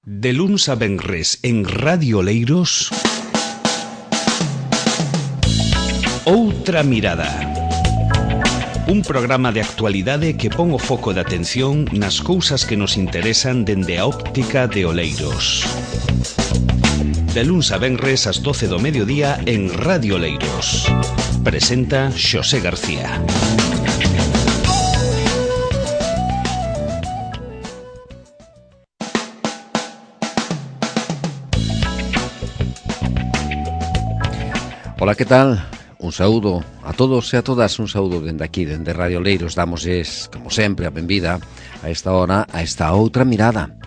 De luns a venres en Radio Oleiros, Outra Mirada. Un programa de actualidade que pon o foco de atención nas cousas que nos interesan dende a óptica de Oleiros. De luns a venres ás 12 do mediodía en Radio Oleiros. Presenta Xosé García. Ola, que tal? Un saúdo a todos e a todas, un saúdo dende aquí, dende Radio Oleiros. Damosles, como sempre, a benvida a esta hora, a esta outra mirada.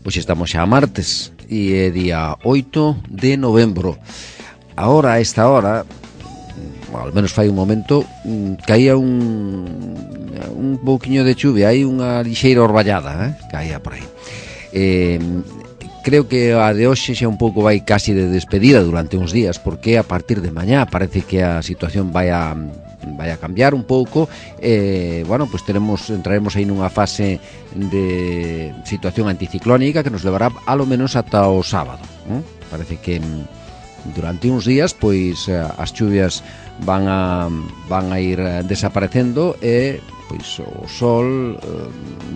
Pois estamos xa a martes e é día 8 de novembro. Ahora, a esta hora, ao menos fai un momento, caía un pouquiño de chuvia, hai unha lixeira orballada, caía por aí. Creo que a de hoxe xa un pouco vai casi de despedida durante uns días, porque a partir de mañá parece que a situación vai a cambiar un pouco. Bueno, pues entraremos aí nunha fase de situación anticiclónica que nos levará a lo menos ata o sábado. Parece que durante uns días pois as chuvias van a ir desaparecendo e pois o sol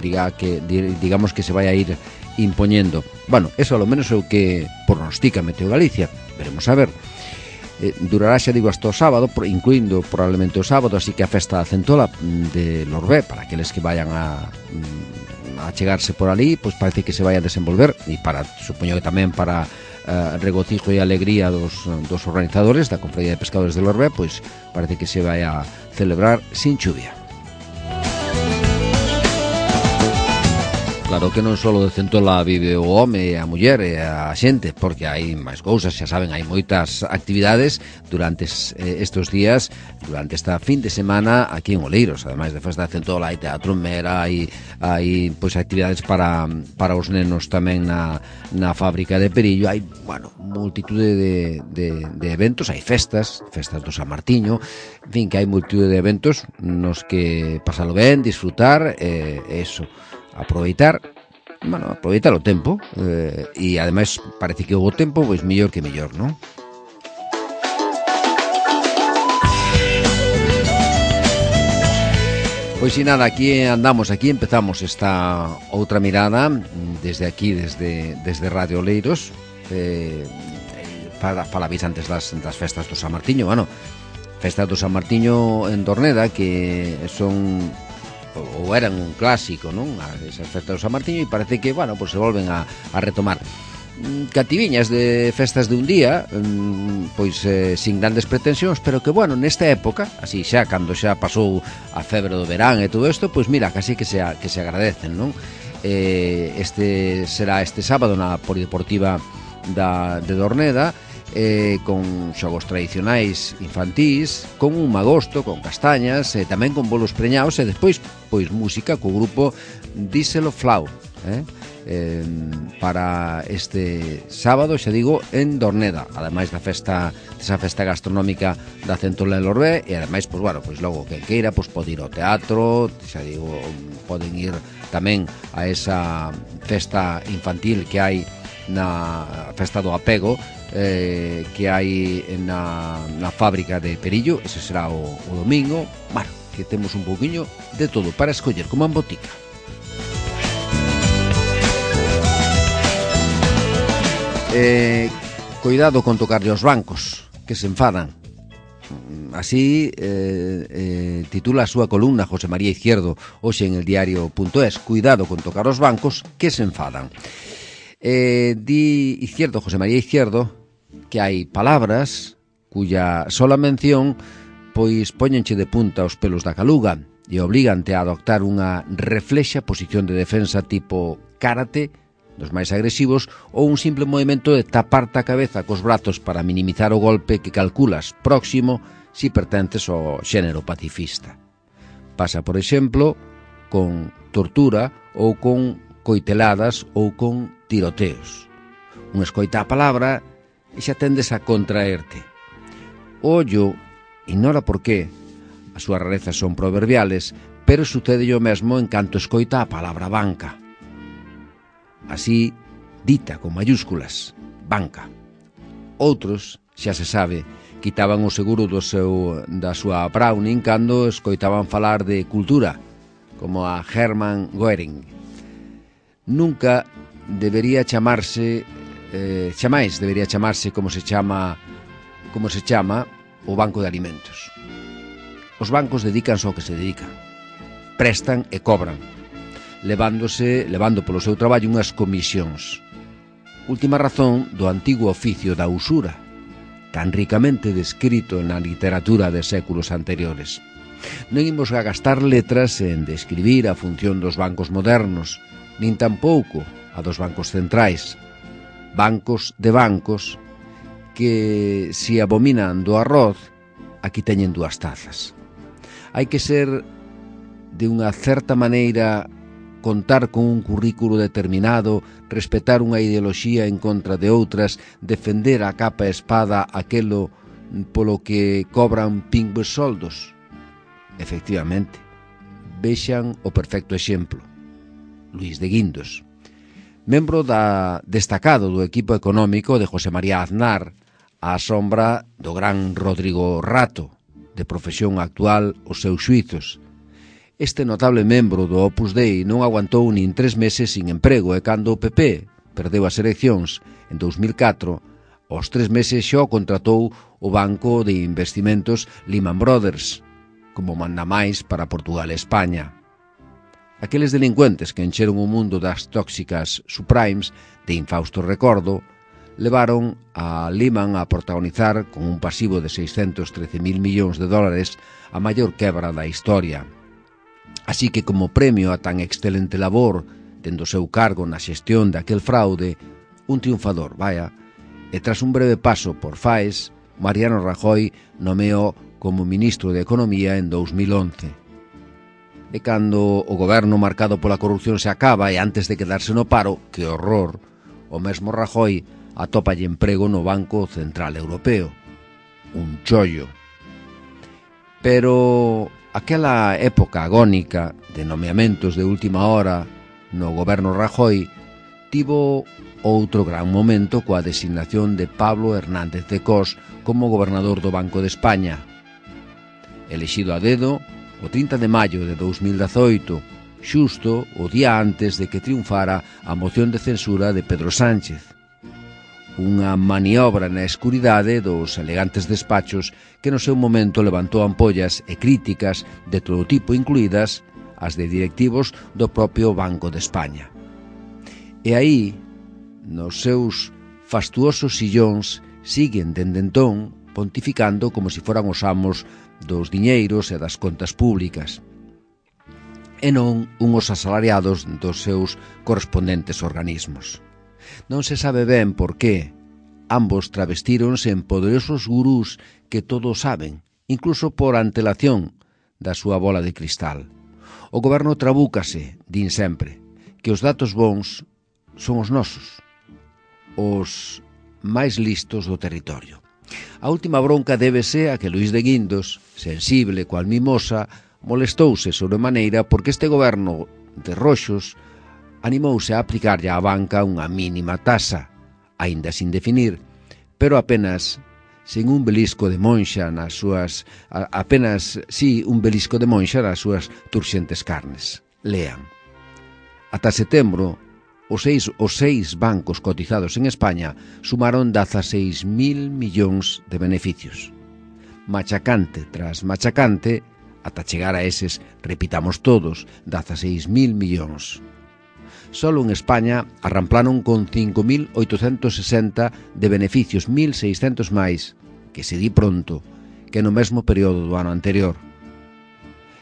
digamos que se vai a ir impoñendo. Bueno, eso a lo menos é o que pronostica Meteo Galicia. Veremos a ver. Durará, xa digo, hasta o sábado, incluindo probablemente o sábado, así que a festa da Centola de Lorbé, para aqueles que vayan a chegarse por ali, pois parece que se vai a desenvolver, e supoño que tamén para regocijo e alegría dos organizadores da Confraría de Pescadores de Lorbé, pois parece que se vai a celebrar sin chuvia. Claro que non só de Centola vive o home, a muller e a xente, porque hai máis cousas, xa saben, hai moitas actividades durante estes días, durante esta fin de semana aquí en Oleiros. Ademais de festa de Centola, hai teatro en Mera, hai pois actividades para os nenos tamén na fábrica de Perillo, hai, bueno, multitude de eventos, hai festas do San Martiño, en fin, que hai multitude de eventos nos que pasalo ben, disfrutar, eso, aproveitar o tempo, e ademais parece que o tempo pois mellor que mellor, non? Pois si nada, aquí empezamos esta outra mirada desde aquí, desde Radio Oleiros. Falabais antes das festas do San Martiño. Bueno, festas do San Martiño en Dorneda, que son ou eran un clásico, non? Esas festas do San Martiño, e parece que, bueno, pues se volven a retomar. Cativiñas de festas de un día, pois sin grandes pretensións, pero que, bueno, nesta época, así xa, cando xa pasou a febre do verán e todo isto, pois mira, casi que se agradecen, non? Será este sábado na Polideportiva de Dorneda, con xogos tradicionais infantís, con un magosto, con castañas, tamén con bolos preñados, e despois pois música co grupo Díselo Flau, para este sábado, xa digo, en Dorneda, ademais desa festa gastronómica da Centola en Lorbé, e ademais, pois bueno, pois logo quen queira, pois pode ir ao teatro, xa digo, poden ir tamén a esa festa infantil que hai na festa do apego, que hai na fábrica de Perillo. Ese será o domingo. Bueno, que temos un pouquiño de todo para escoller, como en botica. Cuidado con tocarlle aos bancos, que se enfadan. Así titula a súa columna José María Izquierdo hoxe en el diario.es. Cuidado con tocar os bancos, que se enfadan. Di José María Izquierdo, que hai palabras cuya sola mención pois poñenche de punta os pelos da caluga e oblígante a adoptar unha reflexa posición de defensa tipo karate dos máis agresivos, ou un simple movimento de taparte a cabeza cos brazos para minimizar o golpe que calculas próximo si pertences ao xénero pacifista. Pasa, por exemplo, con tortura ou con coiteladas ou con tiroteos. Un escoita a palabra e xa tendes a contraerte. Ollo, ignora por qué, as súas rarezas son proverbiales, pero sucede o mesmo en canto escoita a palabra banca. Así, dita con mayúsculas, banca. Outros, xa se sabe, quitaban o seguro da súa Browning cando escoitaban falar de cultura, como a Hermann Göring. Nunca debería chamarse, chamais debería chamarse como se chama o Banco de Alimentos. Os bancos dedicanse ao que se dedican. Prestan e cobran, levando polo seu traballo unhas comisións. Última razón do antigo oficio da usura, tan ricamente descrito na literatura de séculos anteriores. Non imos a gastar letras en describir a función dos bancos modernos, nin tampouco a dos bancos centrais. Bancos de bancos que, si abominan do arroz, aquí teñen dúas tazas. Hai que ser, de unha certa maneira, contar con un currículo determinado, respetar unha ideoloxía en contra de outras, defender a capa e espada aquelo polo que cobran pingües soldos. Efectivamente, vexan o perfecto exemplo. Luís de Guindos, membro destacado do equipo económico de José María Aznar, á sombra do gran Rodrigo Rato, de profesión actual os seus xuizos. Este notable membro do Opus Dei non aguantou nin 3 meses sin emprego e cando o PP perdeu as eleccións en 2004, aos 3 meses xa o contratou o banco de investimentos Lehman Brothers como mandamais para Portugal e España. Aqueles delincuentes que encheron o mundo das tóxicas subprimes de infausto recordo levaron a Lehman a protagonizar con un pasivo de 613.000 millóns de dólares a maior quebra da historia. Así que, como premio a tan excelente labor dende o seu cargo na xestión daquel fraude, un triunfador, e tras un breve paso por FAES, Mariano Rajoy nomeou como ministro de Economía en 2011. E cando o goberno marcado pola corrupción se acaba e antes de quedarse no paro, que horror, o mesmo Rajoy atópalle emprego no Banco Central Europeo. Un chollo. Pero aquela época agónica de nomeamentos de última hora no goberno Rajoy tivo outro gran momento coa designación de Pablo Hernández de Cos como gobernador do Banco de España. Elexido a dedo o 30 de maio de 2018, xusto o día antes de que triunfara a moción de censura de Pedro Sánchez. Unha maniobra na escuridade dos elegantes despachos que no seu momento levantou ampollas e críticas de todo tipo, incluídas as de directivos do propio Banco de España. E aí, nos seus fastuosos sillóns, siguen dende entón pontificando como se foran os amos dos diñeiros e das contas públicas, e non unhos asalariados dos seus correspondentes organismos. Non se sabe ben por qué. Ambos travestíronse en poderosos gurús que todo saben, incluso por antelación da súa bola de cristal. O goberno trabúcase, din sempre, que os datos bons son os nosos, os máis listos do territorio. A última bronca débese a que Luís de Guindos, sensible cual mimosa, molestouse sobremaneira porque este goberno de roxos animouse a aplicarlle á banca unha mínima tasa, aínda sin definir, pero apenas sen un belisco de monxa nas súas turxentes carnes. Lean. Ata setembro, os seis bancos cotizados en España sumaron 16.000 millóns de beneficios. Machacante tras machacante, ata chegar a eses, repitamos todos, 16.000 millóns. Solo en España arramplaron con 5.860 de beneficios, 1.600 máis, que se di pronto, que no mesmo período do ano anterior.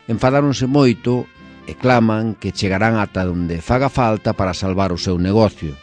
Enfadáronse moito e claman que chegarán ata onde faga falta para salvar o seu negocio.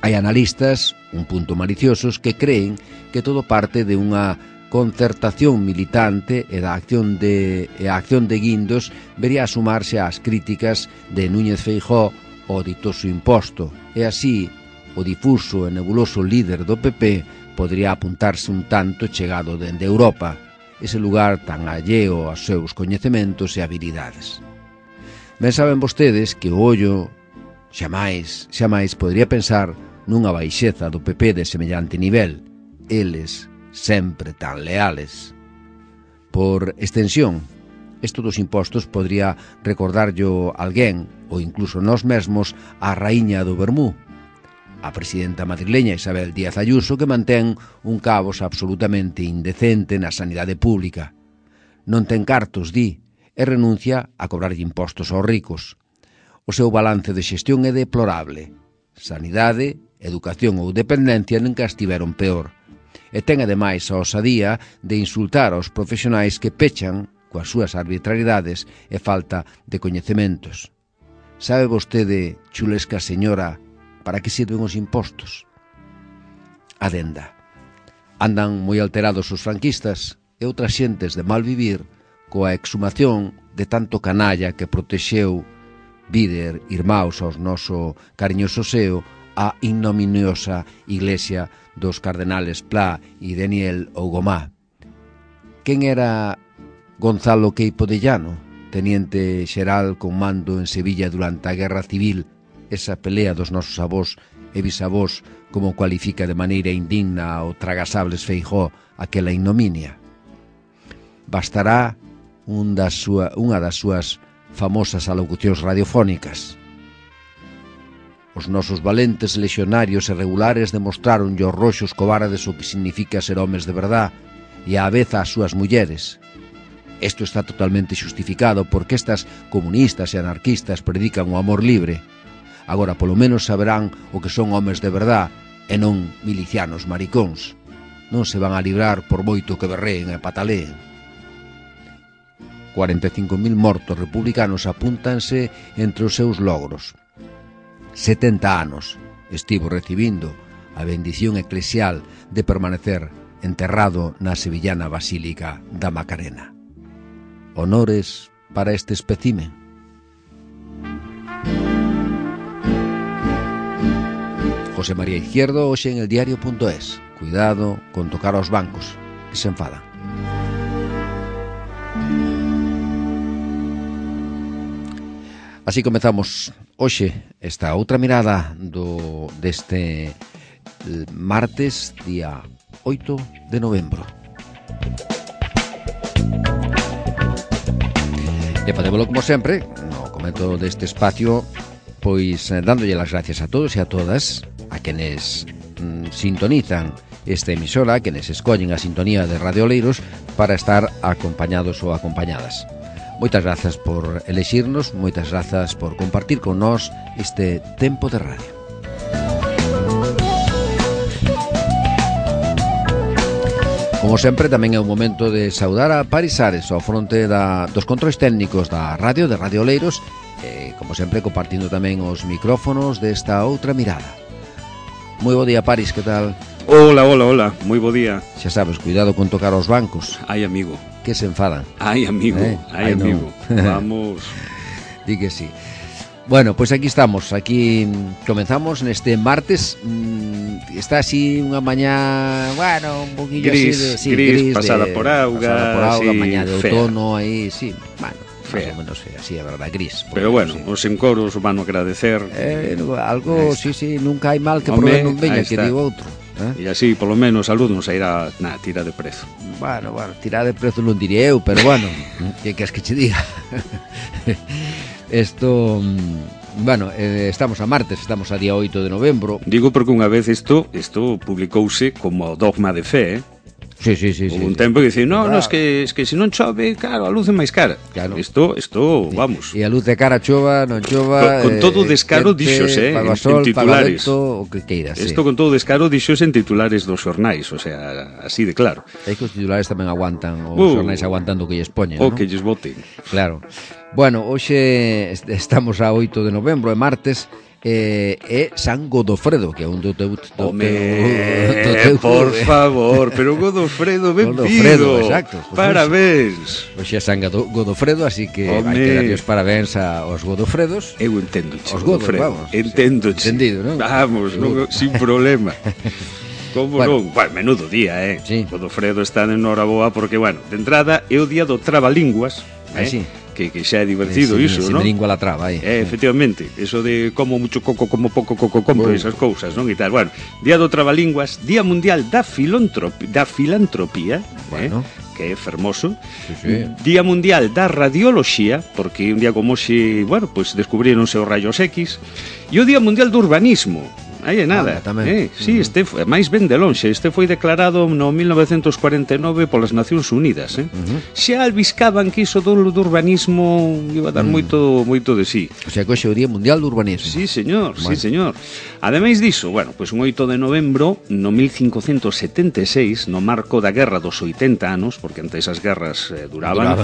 Hai analistas, un punto maliciosos, que creen que todo parte de unha concertación militante e a acción de Guindos vería a sumarse ás críticas de Núñez Feijóo ao ditoso imposto, e así o difuso e nebuloso líder do PP podría apuntarse un tanto chegado dende Europa, ese lugar tan alleo aos seus coñecementos e habilidades. Ben saben vostedes que o ollo Xamais podería pensar nunha baixeza do PP de semellante nivel. Eles sempre tan leales. Por extensión, isto dos impostos podría recordarllo alguén, ou incluso nós mesmos, a raíña do Vermú, a presidenta madrileña Isabel Díaz Ayuso, que mantén un cabos absolutamente indecente na sanidade pública. Non ten cartos, di, e renuncia a cobrarlle impostos aos ricos. O seu balance de xestión é deplorable. Sanidade, educación ou dependencia nunca estiveron peor. E ten ademais a osadía de insultar aos profesionais que pechan coas súas arbitrariedades e falta de coñecementos. Sabe vostede, chulesca señora, para que sirven os impostos? Adenda. Andan moi alterados os franquistas e outras xentes de mal vivir coa exhumación de tanto canalla que protexeu, víder, irmãos aos noso cariñoso seo, a ignominiosa iglesia dos cardenales Pla e Daniel Ougomá. Quen era Gonzalo Queipo de Llano, teniente xeral con mando en Sevilla durante a Guerra Civil, esa pelea dos nosos avós e bisavós, como cualifica de maneira indigna o tragasables Feijóo aquela ignominia? Bastará unha das súas famosas alocucións radiofónicas. Os nosos valentes lexionarios e regulares demostraron aos roxos cobardes o que significa ser homes de verdad e á vez ás súas mulleres. Isto está totalmente xustificado porque estas comunistas e anarquistas predican o amor libre. Agora polo menos saberán o que son homes de verdad e non milicianos maricóns. Non se van a librar por moito que berreen e pataleen. 45.000 mortos republicanos apúntanse entre os seus logros. 70 anos estivo recibindo a bendición eclesial de permanecer enterrado na sevillana Basílica da Macarena. Honores para este espécimen. José María Izquierdo, hoxe en eldiario.es. Cuidado con tocar aos bancos, que se enfadan. Así comezamos hoxe esta outra mirada deste martes, día 8 de novembro. E facémolo como sempre, no comento deste espacio, pois dándolle as gracias a todos e a todas, a quenes sintonizan esta emisora, a quenes escollen a sintonía de Radio Oleiros para estar acompañados ou acompañadas. Moitas grazas por elexirnos, moitas grazas por compartir con nós este tempo de radio. Como sempre, tamén é o momento de saudar a Paris Ares ao fronte dos controis técnicos da radio, de Radio Oleiros, e, como sempre, compartindo tamén os micrófonos desta outra mirada. Moi bo día, Paris, que tal? Hola, moi bo día. Xa sabes, cuidado con tocar os bancos. Ai, amigo. Que se enfadan. Ai, amigo, amigo. No. Vamos. Di que sí. Bueno, pois aquí estamos, aquí comenzamos neste martes. Está así unha mañá, bueno, un poquillo gris, así gris, pasada por auga, sí, mañá de outono aí, sí, bueno, fea. Más ou menos así, a verdade, gris. Pero bueno, sí. os encoros van a agradecer. Algo, sí, nunca hai mal que por ben non veña, que digo outro. E así, polo menos, a luz non sairá na tira de prezo. Bueno, tira de prezo non diré eu, pero bueno, que queres que che diga? Esto, bueno, estamos a martes, estamos a día 8 de novembro. Digo porque unha vez isto publicouse como dogma de fe, Sí. Houve un tempo que dice, no, es que se non chove, claro, a luz é máis cara. Claro. Isto, vamos. E a luz de cara chova, non chova. Con todo descaro dixose, paga sol, en titulares. Paga vento, o que queiras. Isto con todo descaro dixose en titulares dos xornais, o sea, así de claro. É que os titulares tamén aguantan, os xornais aguantando que lles poñen, O ¿no? que lles boten. Claro. Bueno, hoxe estamos a 8 de novembro, é martes. É San Godofredo, que é un do teu por favor, pero Godofredo, ben pido. Exacto. Parabéns. Hoxe é San Godofredo, así que hai que darlle os parabéns aos Godofredos. Eu entendo, os Godofredo, vamos. Entendo. Entendido, non? Vamos, sin problema. Como non? Bueno, menudo día, Sí. Godofredo está en Noraboa porque, bueno, de entrada é o día do Trabalínguas. Sí. que xa é divertido iso, non? Se me lingua la traba, efectivamente, eso de como mucho coco, como pouco coco, compro esas cousas, non? E tal, bueno, Día do Traballinguas, Día Mundial da Filantropía, bueno, que é fermoso. sí. Día Mundial da Radioloxía, porque un día como hoxe, bueno, pues descubrironse os rayos X, e o Día Mundial do Urbanismo. Aí é nada. Sí, este máis ben de lonxe. Este foi declarado no 1949 polas Nacións Unidas. Xa albiscaban que iso do urbanismo iba a dar moito de sí. O sea, que hoxe é o Día Mundial do Urbanismo. Sí, señor, bueno. Sí, señor. Ademais diso, bueno, pues un 8 de novembro, no 1576, no marco da Guerra dos 80 anos, porque antes as guerras duraban,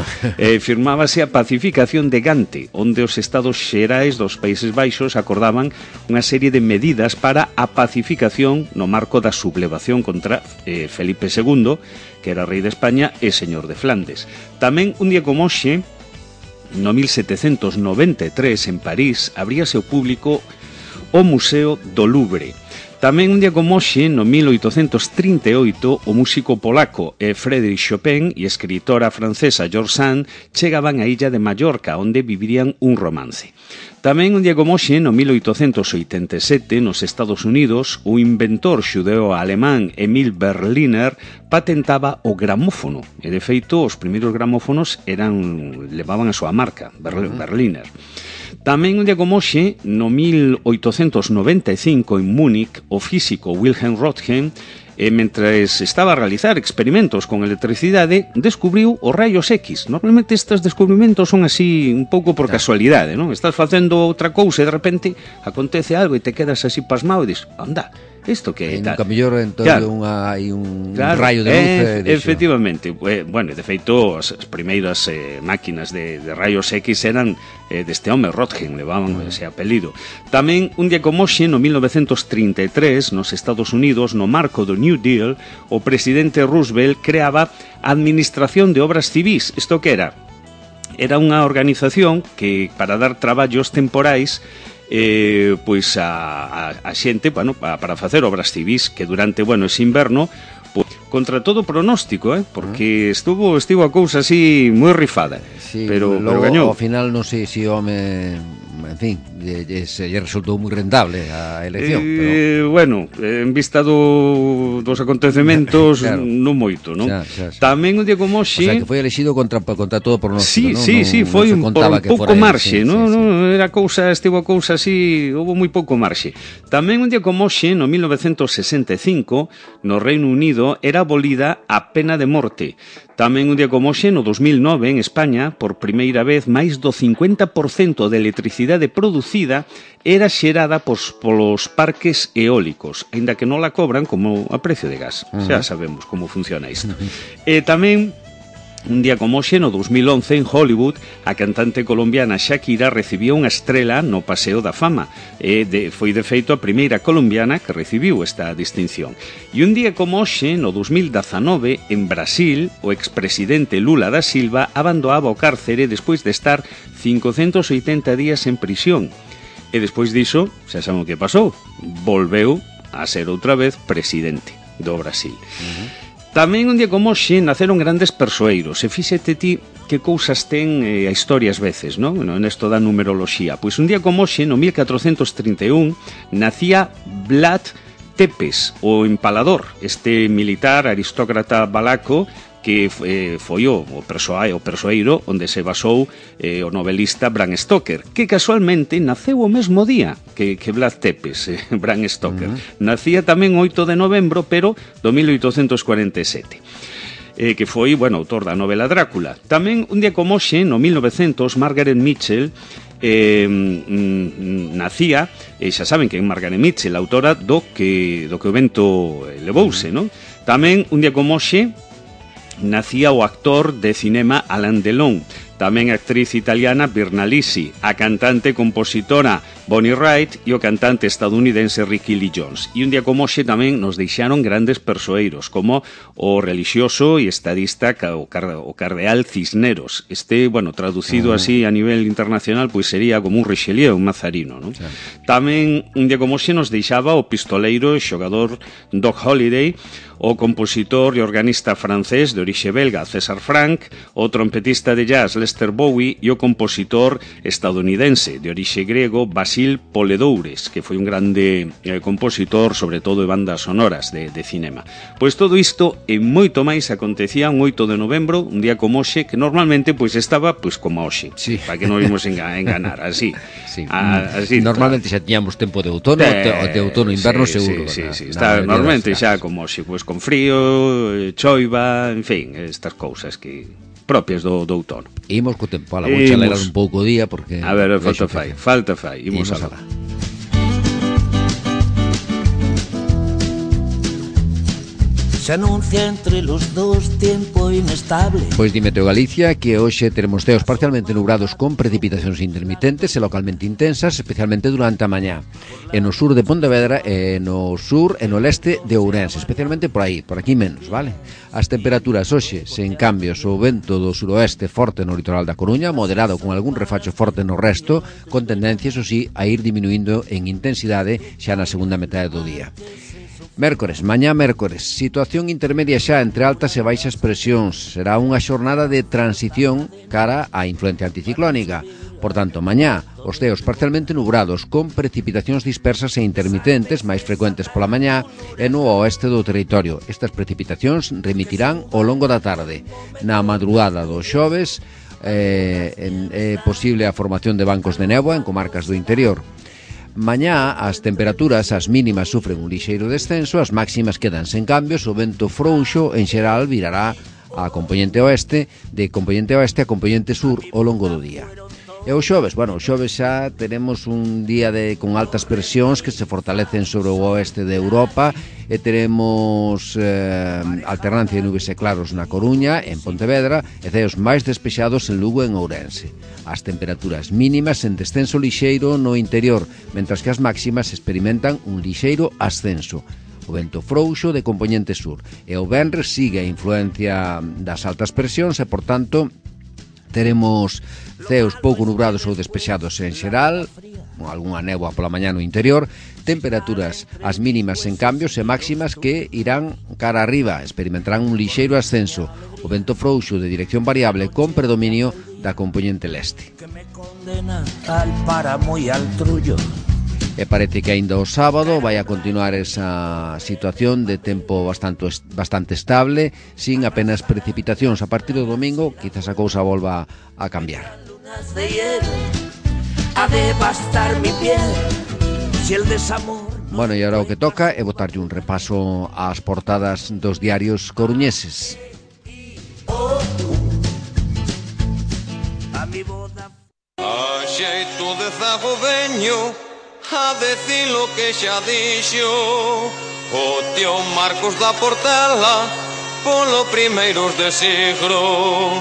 firmábase a pacificación de Gante, onde os Estados Xerais dos Países Baixos acordaban unha serie de medidas para a pacificación no marco da sublevación contra Felipe II, que era rei de España e señor de Flandes. Tamén un día como hoxe, no 1793, en París, abríase ao público o Museo do Louvre. Tamén un día como hoxe, no 1838, o músico polaco Frédéric Chopin e a escritora francesa George Sand chegaban á illa de Mallorca, onde vivirían un romance. Tamén un día como hoxe, no 1887, nos Estados Unidos, o inventor xudeo-alemán Emil Berliner patentaba o gramófono. E, de feito, os primeiros gramófonos levaban a súa marca, Berliner. Tamén un día como hoxe, no 1895, en Múnich, o físico Wilhelm Röntgen, mentres estaba a realizar experimentos con electricidade, descubriu os rayos X. Normalmente estes descubrimentos son así un pouco por casualidade, non? Estás facendo outra cousa e de repente acontece algo e te quedas así pasmado e dis, anda, isto que é tal. Nunca mellor entón hai un rayo de luz. Efectivamente. Bueno, de feito, as primeiras máquinas de rayos X eran deste home Röntgen, levaban ese apelido. Tamén, un día como hoxe, no 1933, nos Estados Unidos, no marco do New Deal, o presidente Roosevelt creaba a Administración de Obras Civís. Isto que era? Era unha organización que, para dar traballos temporais, pois a xente, bueno, para facer obras civís que durante, bueno, ese inverno, pois, contra todo pronóstico, porque estivo a cousa así moi rifada, sí, pero gañou. Ao final non sei se o home, en fin, se lle resultou moi rentable a elección, pero... bueno, en vista dos acontecementos, claro, non moito, non? Xa. Tamén un día como hoxe... O sea, que foi elexido contra todo pronóstico, non? Sí, foi un pouco marxe, non? Era cousa, estivo a cousa así, houve moi pouco marxe. Tamén un día como hoxe, no 1965, no Reino Unido, era abolida a pena de morte. Tamén un día como hoxe, no 2009, en España, por primeira vez, máis do 50% de electricidade producida era xerada polos parques eólicos, aínda que non la cobran como a precio de gas. Xa sabemos como funciona isto. E tamén, un día como hoxe, no 2011, en Hollywood, a cantante colombiana Shakira recibiu unha estrela no Paseo da Fama. Foi, de feito, a primeira colombiana que recibiu esta distinción. E un día como hoxe, no 2019, en Brasil, o expresidente Lula da Silva abandonaba o cárcere despois de estar 580 días en prisión. E despois diso, xa saben o que pasou, volveu a ser outra vez presidente do Brasil. Tamén un día como hoxe naceron grandes persoeiros, e fíxete ti que cousas ten a historia ás veces, non? Nesto da numeroloxía. Pois un día como hoxe, no 1431, nacía Vlad Tepes, o empalador, este militar aristócrata valaco que foi o persoeiro onde se basou o novelista Bram Stoker, que casualmente naceu o mesmo día que Vlad Tepes, Bram Stoker. Nacía tamén 8 de novembro, pero do 1847. Que foi, bueno, autor da novela Drácula. Tamén, un día como hoxe, no 1900, Margaret Mitchell nacía, xa saben que é Margaret Mitchell, autora do que o vento levouse, non? Tamén, un día como hoxe, nacía o actor de cinema Alain Delon, tamén a actriz italiana Virna Lisi, a cantante e compositora Bonnie Wright e o cantante estadounidense Ricky Lee Jones. E un día como hoxe tamén nos deixaron grandes persoeiros, como o relixioso e estadista o cardeal Cisneros. Este, bueno, traducido así a nivel internacional, pois sería como un Richelieu, un Mazarino, non? Tamén un día como hoxe nos deixaba o pistoleiro e xogador Doc Holliday, o compositor e organista francés de orixe belga César Franck, o trompetista de jazz Lester Bowie e o compositor estadounidense de orixe grego Basil Poledoures, que foi un grande compositor, sobre todo de bandas sonoras de cinema. Pois todo isto e moito máis acontecía un 8 de novembro, un día como hoxe, que normalmente pois estaba pois como hoxe, sí. Para que non ímos enganar, así. Sí. Así normalmente xa tiñamos tempo de outono, de outono inverno sí, seguro. Sí. Está normalmente xa como hoxe, pois con frío, choiva, en fin, estas cousas que propias do outono. Imos co tempo, ala, vou chalerar un pouco o día porque a ver, falta fai, imos alá. Se anuncia entre los dos tiempo inestable. Pois di Meteo Galicia que hoxe teremos ceos parcialmente nubrados con precipitacións intermitentes e localmente intensas, especialmente durante a mañá. En o sur de Pontevedra e no sur e no leste de Ourense, especialmente por aí, por aquí menos, vale? As temperaturas hoxe, sen cambios, o vento do suroeste forte no litoral da Coruña, moderado con algún refacho forte no resto, con tendencia, eso sí, a ir diminuindo en intensidade xa na segunda metade do día. Mércores, mañá mércores, situación intermedia xa entre altas e baixas presións. Será unha xornada de transición cara á influencia anticiclónica. Por tanto, mañá, os ceos parcialmente nubrados con precipitacións dispersas e intermitentes, máis frecuentes pola mañá, e no oeste do territorio. Estas precipitacións remitirán ao longo da tarde. Na madrugada do xoves é posible a formación de bancos de néboa en comarcas do interior. Mañá as temperaturas, as mínimas sufren un lixeiro descenso, as máximas quedan sen cambios, o vento frouxo en xeral virará a componente oeste, de componente oeste a componente sur ao longo do día. E o xoves, o xoves xa teremos un día con altas presións que se fortalecen sobre o oeste de Europa e teremos alternancia de nubes e claros na Coruña, en Pontevedra, e ceos máis despexados en Lugo e en Ourense. As temperaturas mínimas en descenso lixeiro no interior, mentras que as máximas experimentan un lixeiro ascenso. O vento frouxo de componente sur. E o venres sigue a influencia das altas presións e, por tanto, teremos ceos pouco nubrados ou despexados en xeral, con algunha néboa pola mañá no interior, temperaturas as mínimas en cambios e máximas que irán cara arriba, experimentarán un lixeiro ascenso, o vento frouxo de dirección variable con predominio da componente leste. E parece que aínda o sábado vai a continuar esa situación de tempo bastante estable, sin apenas precipitacións. A partir do domingo, quizás a cousa volva a cambiar. Bueno, e agora o que toca é botarlle un repaso ás portadas dos diarios coruñeses. A xeito de zago veño a decir lo que xa dixo o tío Marcos da Portela polo primeiros de siglo,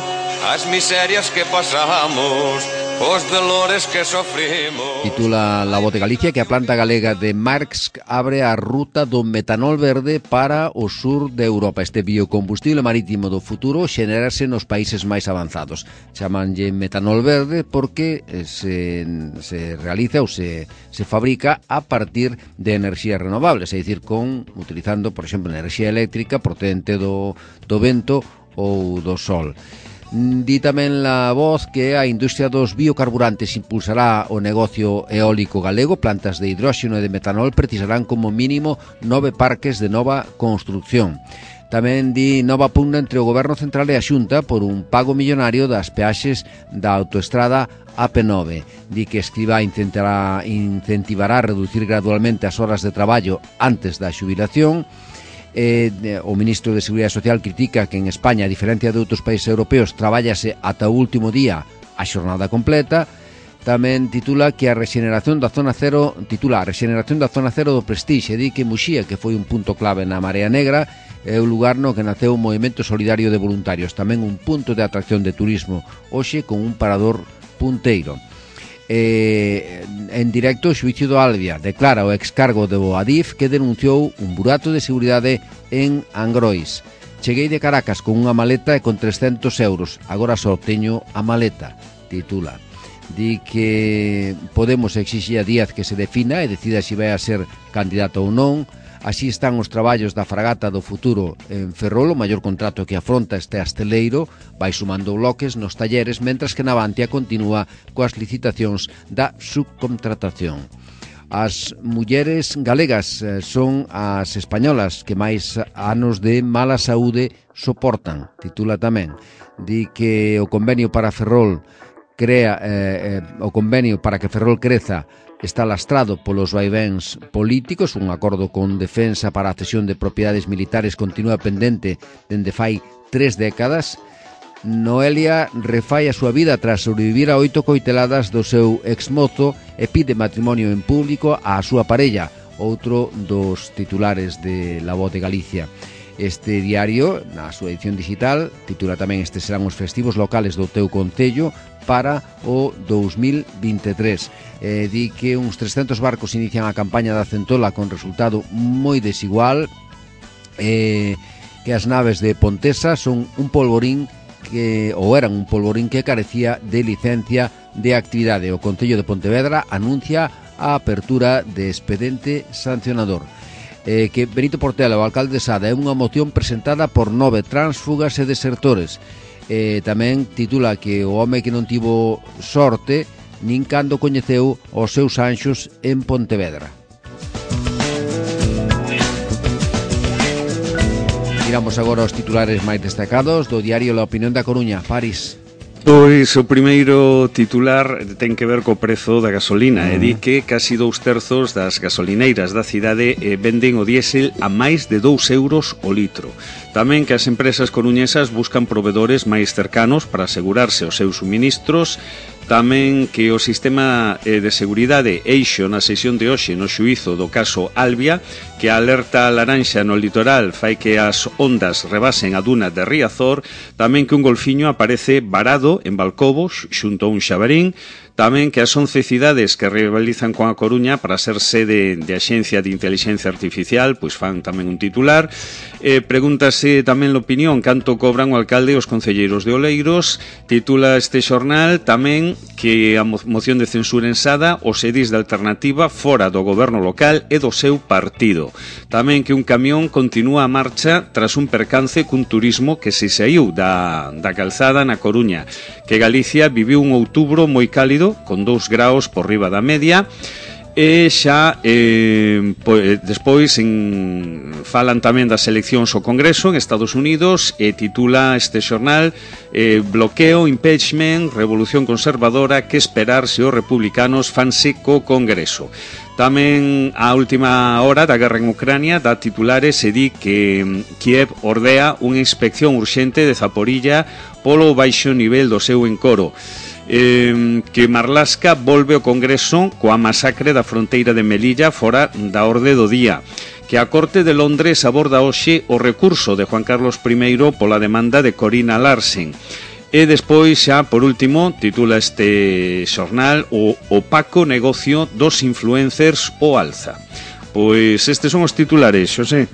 as miserias que pasamos, os dolores que sofrimos. Titula La Voz de Galicia que a planta galega de Marx abre a ruta do metanol verde para o sur de Europa. Este biocombustible marítimo do futuro xenérase nos países máis avanzados. Chamanlle metanol verde porque se realiza ou se fabrica a partir de enerxías renovables, é dicir, utilizando, por exemplo, enerxía eléctrica procedente do vento ou do sol. Di tamén La Voz que a industria dos biocarburantes impulsará o negocio eólico galego. Plantas de hidróxeno e de metanol precisarán como mínimo 9 parques de nova construcción. Tamén di nova pugna entre o Goberno Central e a Xunta por un pago millonario das peaxes da autoestrada AP9. Di que Escrivá incentivará a reducir gradualmente as horas de traballo antes da xubilación. O ministro de Seguridade Social critica que en España, a diferencia de outros países europeos, trabállase ata o último día a xornada completa. Tamén titula a rexeneración da zona cero do Prestixe. Di que Muxía, que foi un punto clave na Marea Negra, é o lugar no que naceu o movimento solidario de voluntarios, tamén un punto de atracción de turismo, hoxe con un parador punteiro. En directo, o xuicio do Albia declara o excargo do Adif que denunciou un burato de seguridade en Angrois. Cheguei de Caracas con unha maleta e con 300 euros, agora só teño a maleta, titula. Di que Podemos exixir a Díaz que se defina e decida se vai a ser candidato ou non. Así están os traballos da fragata do futuro en Ferrol, o maior contrato que afronta este asteleiro, vai sumando bloques nos talleres, mentras que Navantia continúa coas licitacións da subcontratación. As mulleres galegas son as españolas que máis anos de mala saúde soportan, titula tamén. Di que o convenio para Ferrol o convenio para que Ferrol creza está lastrado polos vaivéns políticos. Un acordo con defensa para a cesión de propiedades militares continúa pendente dende fai 3 décadas. Noelia refai a súa vida tras sobrevivir a 8 coiteladas do seu exmozo e pide matrimonio en público á súa parella, outro dos titulares de La Voz de Galicia. Este diario, na súa edición digital, titula tamén "Estes serán os festivos locales do teu concello para o 2023". Di que uns 300 barcos inician a campaña da centola con resultado moi desigual, que as naves de Pontesa son un polvorín eran un polvorín que carecía de licencia de actividade. O Concello de Pontevedra anuncia a apertura de expediente sancionador. Que Benito Portela, o alcalde de Sada, é unha moción presentada por 9 tránsfugas e desertores. Tamén titula que o home que non tivo sorte nin cando coñeceu os seus anxos en Pontevedra. Miramos agora os titulares máis destacados do diario La Opinión da Coruña. París. Pois o primeiro titular ten que ver co prezo da gasolina e di que casi 2/3 das gasolineiras da cidade venden o diésel a máis de 2 euros o litro. Tamén que as empresas coruñesas buscan provedores máis cercanos para asegurarse os seus suministros. Tamén que o sistema de seguridade Eixo na sesión de hoxe no xuízo do caso Albia, que a alerta laranxa no litoral fai que as ondas rebasen a duna de Riazor. Tamén que un golfiño aparece varado en Balcobo xunto a un xabarín. Tamén que as 11 cidades que rivalizan con a Coruña para ser sede de Axencia de Inteligencia Artificial, pois fan tamén un titular. Pregúntase tamén a opinión canto cobran o alcalde e os concelleiros de Oleiros. Titula este xornal tamén que a moción de censura en Sada os edis de alternativa fora do goberno local e do seu partido. Tamén que un camión continúa a marcha tras un percance cun turismo que se saíu da calzada na Coruña. Que Galicia viviu un outubro moi cálido, con 2 graus por riba da media. E xa despois falan tamén das eleccións ao Congreso en Estados Unidos e titula este xornal bloqueo, impeachment, revolución conservadora, que esperar se os republicanos fanse co Congreso. Tamén a última hora da guerra en Ucrania dá titulares e di que Kiev ordea unha inspección urxente de Zaporilla polo baixo nivel do seu encoro. Que Marlaska volve ao Congreso coa masacre da fronteira de Melilla fora da orde do día. Que a Corte de Londres aborda hoxe o recurso de Juan Carlos I pola demanda de Corina Larsen. E despois, xa por último, titula este xornal o opaco negocio dos influencers o alza. Pois estes son os titulares, Xosé.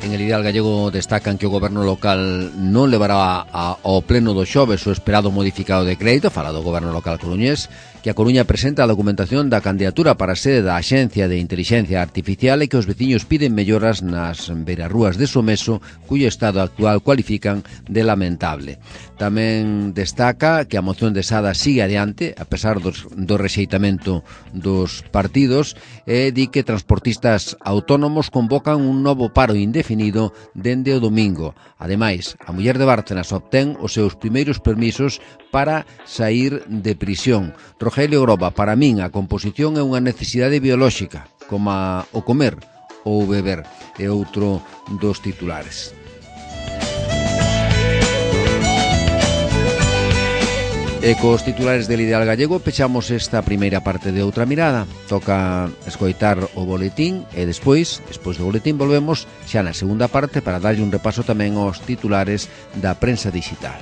En el Ideal Gallego destacan que o goberno local non levará ao pleno do xoves o esperado modificado de crédito, fala do goberno local coruñés, que a Coruña presenta a documentación da candidatura para a sede da Axencia de Inteligencia Artificial e que os veciños piden melloras nas beirarrúas de Someso, cuyo estado actual cualifican de lamentable. Tamén destaca que a moción de Sada sigue adiante, a pesar do rexeitamento dos partidos, e di que transportistas autónomos convocan un novo paro indefinido dende o domingo. Ademais, a muller de Bárcenas obtén os seus primeiros permisos para sair de prisión. Rogelio Groba, para min a composición é unha necesidade biolóxica, como o comer ou beber, é outro dos titulares. E cos titulares del Ideal Gallego pechamos esta primeira parte de Outra Mirada. Toca escoitar o boletín e despois do boletín volvemos xa na segunda parte para darlle un repaso tamén aos titulares da prensa digital.